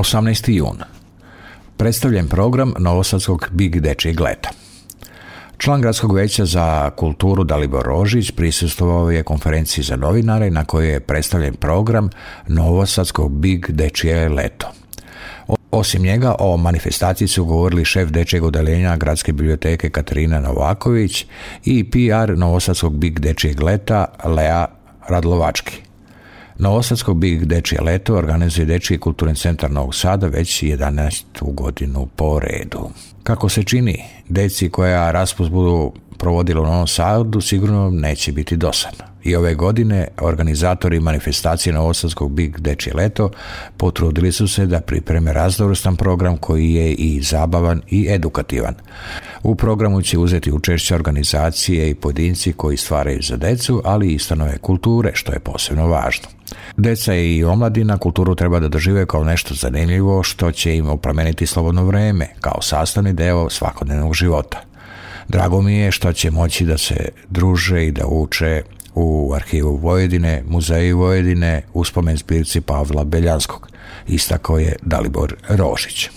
18. jun. Predstavljen program Novosadskog Big dečijeg leta. Član Gradskog vijeća za kulturu Dalibor Rožić prisustvovao je konferenciji za novinare na kojoj je predstavljen program Novosadskog Big dečije leto. Osim njega, o manifestaciji su govorili šef dečjeg odeljenja Gradske biblioteke Katarina Novaković i PR Novosadskog Big dečijeg leta Lea Radlovački. Novosadsko Big dečije leto organizuje Dečiji kulturni centar Novog Sada već 11. godinu po redu. Kako se čini, deci koja raspust budu provodila u Novom Sadu sigurno neće biti dosadno. I ove godine organizatori manifestacije Novosadskog Big dečije leto potrudili su se da pripreme raznovrstan program koji je i zabavan i edukativan. U programu će uzeti učešće organizacije i pojedinci koji stvaraju za decu, ali i ustanove kulture, što je posebno važno. Deca i omladina kulturu treba da dožive kao nešto zanimljivo što će im oplemeniti slobodno vreme, kao sastavni deo svakodnevnog života. Drago mi je što će moći da se druže i da uče u Arhivu Vojvodine, Muzeju Vojvodine, u spomen zbirci Pavla Beljanskog, istakao je Dalibor Rožić.